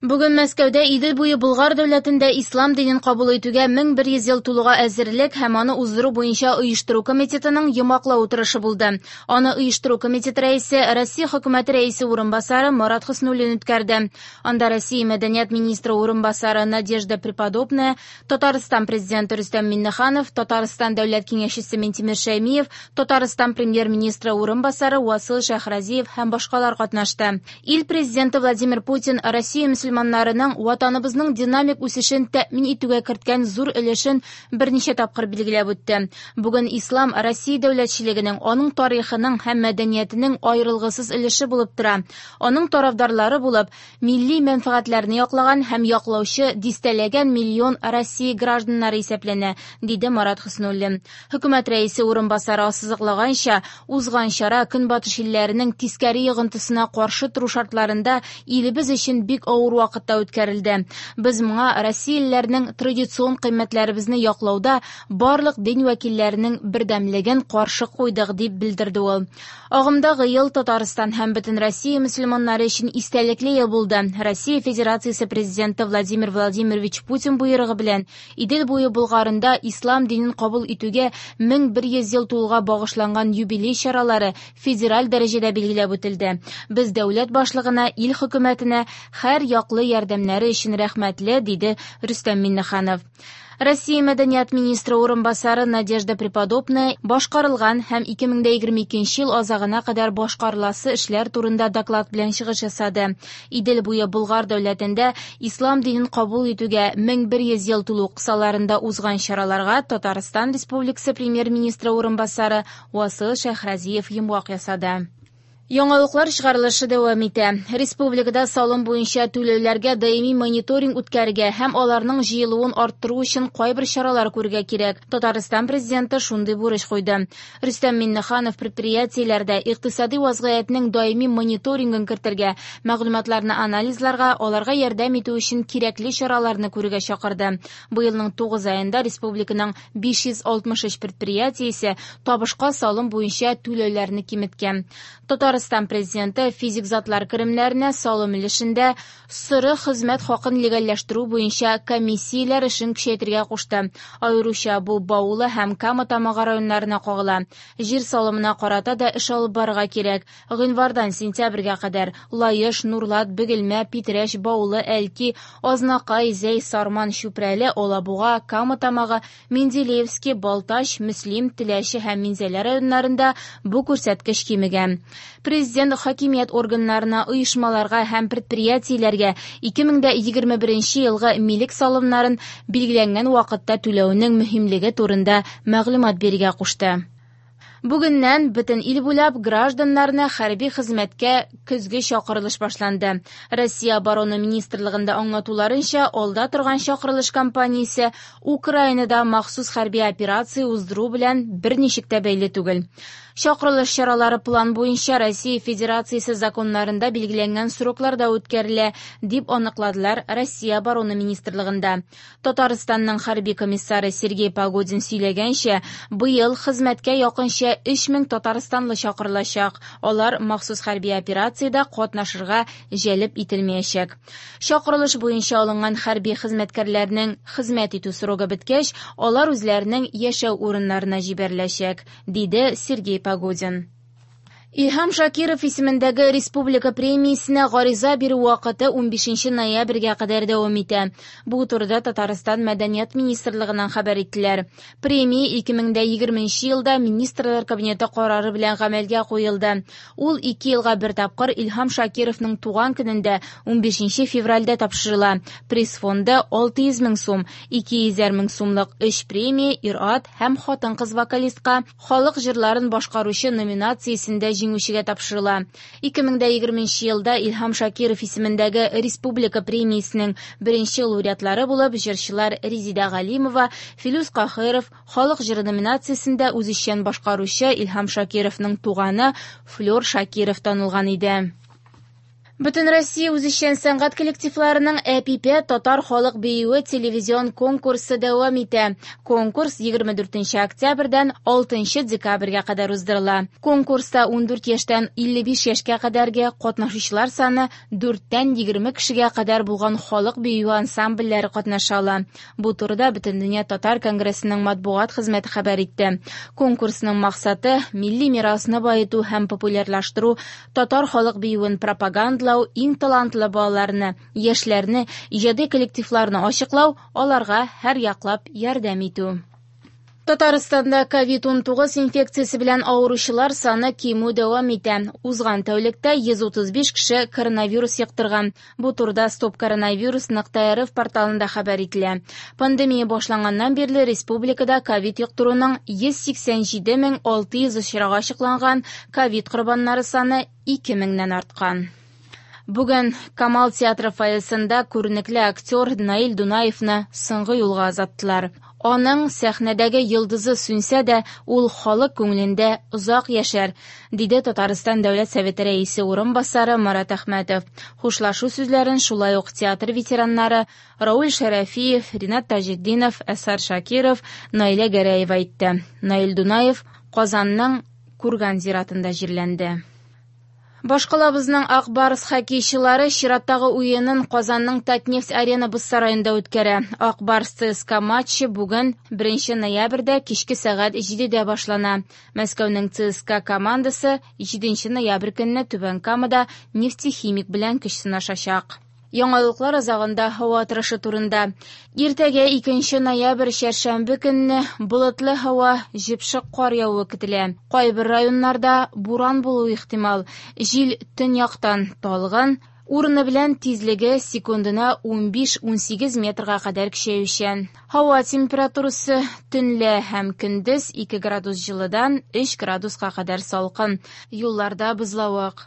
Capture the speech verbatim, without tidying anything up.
Бүген Мәскәүдә Идел буе Болгар дәүләтендә ислам динен кабул итүгә мең бер йөз ел тулуга әзерлек һәм аны уздыру буенча оештыру комитетының йомгаклау утырышы булды. Аны оештыру комитеты рәисе, Россия хөкүмәте рәисе урынбасары Марат Хөснуллин үткәрде. Анда Россия мәдәният министры урынбасары Надежда Преподобная, Татарстан президенты Рөстәм Миңнеханов, Татарстан дәүләт киңәшчесе Минтимер Шәймиев, Татарстан премьер-министры урынбасары Васил Шәһразиев һәм башкалар катнашты. Ил президенты Владимир Путин Россия мөселманнарының ватаныбызның динамик үсешен тәэмин итүгә керткән зур өлешен берничә тапкыр билгеләп үтте. Бүген ислам Россия дәүләтчелегенең, аның тарихының һәм мәдәниятенең аерылгысыз өлеше булып тора. Аның тарафдарлары булып, милли мәнфәгатьләрне яклаган һәм яклаучы дистәләгән миллион Россия гражданнары исәпләнә, диде Марат Хөснуллин. Хөкүмәт рәисе урынбасары ассызыклаганча, узган чара Көнбатыш илләренең тискәре йогынтысына каршы тору шартларында илебез өчен бик авыр вакытта үткәрелде. Без моңа россиялеләрнең традицион кыйммәтләребезне яклауда барлык дин вәкилләренең бердәмлеген каршы куйдык, дип белдерде ул. Агымдагы ел Татарстан һәм бөтен Россия мөселманнары өчен истәлекле ел булды. Россия Федерациясе президенты Владимир Владимирович Путин боерыгы белән Идел буе Болгарында ислам динен кабул итүгә мең бер йөз ел тулуга багышланган юбилей чаралары федераль дәрәҗәдә билгеләп үтелде. Без дәүләт башлыгына, ил хөкүмәтенә һәр яклы ярдәмнәре өчен рәхмәтле, диде Рөстәм Миңнеханов. Россия мәдәният министры урынбасары Надежда Преподобная башкарылган һәм ике мең дә егерме икенче ел азагына кадәр башкарыласы эшләр турында доклад белән чыгыш ясады. Идел буе Болгар дәүләтендә ислам динен кабул итүгә мең бер йөз ел тулу кысаларында узган чараларга Татарстан Республикасы премьер-министры урынбасары Васил Шәһразиев йомгак ясады. Яңалыклар чыгарылышы дәвам итә. Республикада салым буенча түләүләргә даими мониторинг үткәрергә һәм аларның җыелуын арттыру өчен кайбер чаралар күрергә кирәк. Татарстан президенты шундый бурыч куйды. Рөстәм Миңнеханов предприятиеләрдә икътисади вазгыятьнең даими мониторингын кертергә, мәгълүматларны анализларга, аларга ярдәм итү өчен кирәкле чараларны күрергә чакырды. Быелның тугыз аенда республиканың биш йөз алтмыш өч предприятиесе табышка салым буенча түләүләрне киметкән. Татарстан президенты физик затлар керемнәренә салым өлешендә соры хезмәт хакын легальләштерү буенча комиссияләр эшен көчәйтергә кушты. Аеруча бу Баулы һәм Кама Тамагы районнарына кагыла. Җир салымына карата да эш алып барырга кирәк. Гыйнвардан сентябрьгә кадәр Лаеш, Нурлат, Бөгелмә, Питрәч, Баулы, Әлки, Азнакай, Зәй, Сарман, Чүпрәле, Алабуга, Кама Тамагы, Менделеевский, Балтач, Мөслим, Теләче һәм Минзәлә районнарында бу күрсәткеч кимегән. Президент хакимият органнарына, оешмаларга һәм предприятиеләргә ике мең дә егерме беренче елгы милек салымнарын билгеләнгән вакытта түләүнең мөһимлеге турында мәгълүмат бирергә кушты. Бүгеннән бөтен ил буйлап гражданнарны хәрби хезмәткә көзге чакырылыш башланды. Россия Оборона министрлыгында аңлатуларынча, алда торган чакырылыш кампаниясе Украинада махсус хәрби операция уздыру белән берничек тә бәйле түгел. Чакырылыш чаралары план буенча Россия Федерациясе законнарында билгеләнгән срокларда үткәрелә, дип аныкладылар Россия Оборона министрлыгында. Татарстанның хәрби комиссары Сергей Погодин сөйләгәнчә, быел хезмәткә якынча өч мең татарстанлы чакырылачак. Алар махсус хәрби операциядә катнашырга җәлеп ителмәячәк. Чакырылыш буенча алынган хәрби хезмәткәрләрнең хезмәт итү срогы беткәч, алар үзләренең яшәү урыннарына җибәреләчәк, диде Сергей Погодин. Илһам Шакиров исемендәге республика премиясенә гариза бирү вакыты унбишенче ноябрьгә кадәр дәвам итә. Бу турыда Татарстан Мәдәният министрлыгыннан хәбәр иттеләр. Премия ике мең дә егерменче елда Министрлар Кабинеты карары белән гамәлгә куелды. Ул ике елга бер тапкыр Илһам Шакировның туган көнендә унбишенче февральдә тапшырыла. Приз фонды алты йөз мең сум, ике йөзәр мең сумлык өч премия ир-ат һәм хатын-кыз вокалистка халык җырларын башкаручы номинациясендә җиңүчегә тапшырыла. Ике мең дә егерменче елда Илһам Шакиров исемендәге республика премиясенең беренче лауреатлары булып җырчылар Резида Галимова, Филүс Каһиров, халык җыры номинациясендә үзешчән башкаручы Илһам Шакировның туганы Флёр Шакиров танылган иде. Бөтенроссия үзешчән сәнгать коллективларының «Әпипә» татар халык биюе телевизион конкурсы дәвам итә. Конкурс егерме дүртенче октябрьдән алтынчы декабрьгә кадәр уздырыла. Конкурста ундүрт яшьтән илле биш яшькә кадәрге катнашучылар саны дүрттән егерме кешегә кадәр булган халык биюе ансамбльләре катнаша ала. Бу турыда Бөтендөнья татар конгрессының матбугат хезмәте хәбәр итте. Конкурсның максаты милли мирасны баету һәм популярлаштыру, татар халык биюен пропагандалау, иң талантлы балаларны, яшьләрне, иҗади коллективларны ачыклау, аларга һәр яклап ярдәм итү. Татарстанда ковид унтугыз инфекциясе белән авыручылар саны кимү дәвам итә. Узган тәүлектә йөз утыз биш кеше коронавирус йоктырган. Бу турыда Стоп коронавирус нокта рф порталында хәбәр ителә. Пандемия башланганнан бирле республикада ковид йоктыруның йөз сиксән җиде мең алты йөз очрагы ачыкланган, ковид корбаннары саны ике меңнән арткан. Бүген Камал театры фойесында күренекле актер Наил Дунаевны соңгы юлга озаттылар. Аның сәхнәдәге йолдызы сүнсә дә, ул халык күңелендә озак яшәр, диде Татарстан Дәүләт Советы рәисе урынбасары Марат Әхмәтов. Хушлашу сүзләрен шулай ук театр ветераннары Рауль Шәрәфиев, Ринат Таҗетдинов, Әсар Шакиров, Наилә Гәрәева әйтте. Наил Дунаев Казанның Курган зиратында җирләнде. Башкалабызның Ак Барс хоккейчылары чираттагы уенын Казанның Татнефть Арена боз сараенда үткәрә. Ак Барс ЦСКА матчы бүген беренче ноябрьдә кичке сәгать җидедә башлана. Мәскәүнең ЦСКА командасы җиденче ноябрь көнне Түбән Камада Нефтехимик белән көч сынашачак. Яңалыклар азагында һава торышы турында. Иртәгә икенче ноябрь чәршәмбе көнне болытлы һава, җепшек кар явуы көтелә. Кайбер районнарда буран булуы ихтимал. Җил төньяктан талгын, урыны белән тизлеге секундына унбиш-унсигез метрга кадәр көчәючән. Һава температурасы төнлә һәм көндез ике градус җылыдан өч градуска кадәр салкын. Юлларда бозлавык.